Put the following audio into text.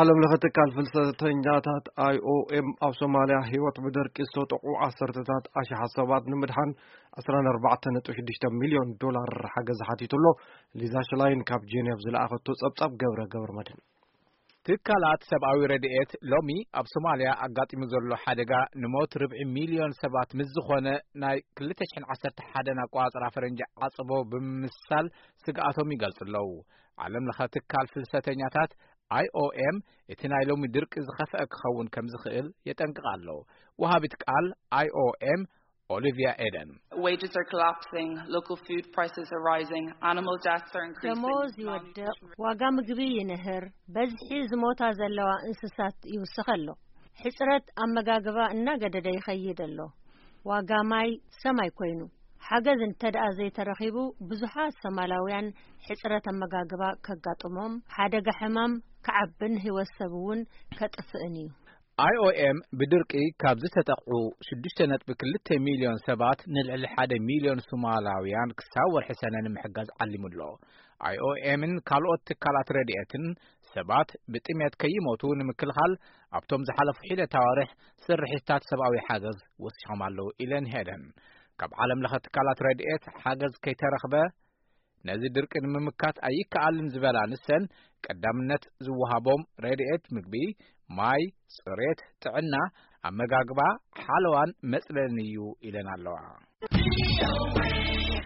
ዓለም ለኸ ትካል ፍልሰተኛታት ኣይ ኦ ኤም ኣብ ሶማልያ ህይወት ብደርቂ ዝተጠቑ ዓሰርተታት ኣሽሓት ሰባት ንምድሓን ዕስራን ኣርባዕተን ነጥቢ ሽዱሽተ ሚልዮን ዶላር ሓገዝ ሓቲቱ ኣሎ። ሊዛ ሽላይን ካብ ጄኔቭ ዝለኣኸቶ ጸብጻብ ገብረ ገብረ መድህን። ትካላት ሰብኣዊ ረድኤት ሎሚ ኣብ ሶማልያ ኣጋጢሙ ዘሎ ሓደጋ ንሞት ርብዒ ሚልዮን ሰባት ምስ ዝኾነ ናይ ክልተ ሽሕን ዓሰርተ ሓደን ኣቋጽራ ፈረንጂ ዓጽቦ ብምምሳል ስግኣቶም ይገልጹ ኣለዉ። ዓለም ለኸ ትካል ፍልሰተኛታት ኣይ ኦ ኤም እቲ ናይ ሎሚ ድርቂ ዝኸፍአ ክኸውን ከም ዝኽእል የጠንቅቕ ኣሎ። ወሃቢት ቃል ኣይ ኦ ኤም ኦሊቪያ ኤደን። Wages are collapsing, local food prices are rising, animal deaths are increasing. ደሞዝ ይወድቕ፣ ዋጋ ምግቢ ይንህር፣ በዝሒ ዝሞታ ዘለዋ እንስሳት ይውስኽ ኣሎ። ሕጽረት ኣመጋግባ እናገደደ ይኸይድ ኣሎ። ዋጋ ማይ ሰማይ ኮይኑ። ሓገዝ እንተ ደኣ ዘይተረኺቡ፣ ብዙሓት ሶማላውያን ሕጽረት ኣመጋግባ ከጋጥሞም፣ ሓደጋ ሕማም ክዓብን ህይወት ሰብ እውን ከጥፍእን እዩ። ኣይ ኦ ኤም ብድርቂ ካብ ዝተጠቕዑ ሽዱሽተ ነጥቢ ክልተ ሚልዮን ሰባት ንልዕሊ ሓደ ሚልዮን ሶማላውያን ክሳብ ወርሒ ሰነ ንምሕጋዝ ዓሊሙ ኣሎ። ኣይ ኦ ኤምን ካልኦት ትካላት ረድኤትን ሰባት ብጥሜት ከይሞቱ ንምክልኻል ኣብቶም ዝሓለፉ ሒደት ኣዋርሕ ስርሒታት ሰብኣዊ ሓገዝ ወሲኾም ኣለዉ ኢለን ሄደን። ካብ ዓለም ለኸ ትካላት ረድኤት ሓገዝ ከይተረኽበ ነዚ ድርቂ ንምምካት ኣይከኣልን ዝበላ ንሰን ቀዳምነት ዝወሃቦም ረድኤት ምግቢ፣ ማይ፣ ጽሬት፣ ጥዕና፣ ኣመጋግባ፣ ሓለዋን መጽለልን እዩ ኢለን ኣለዋ።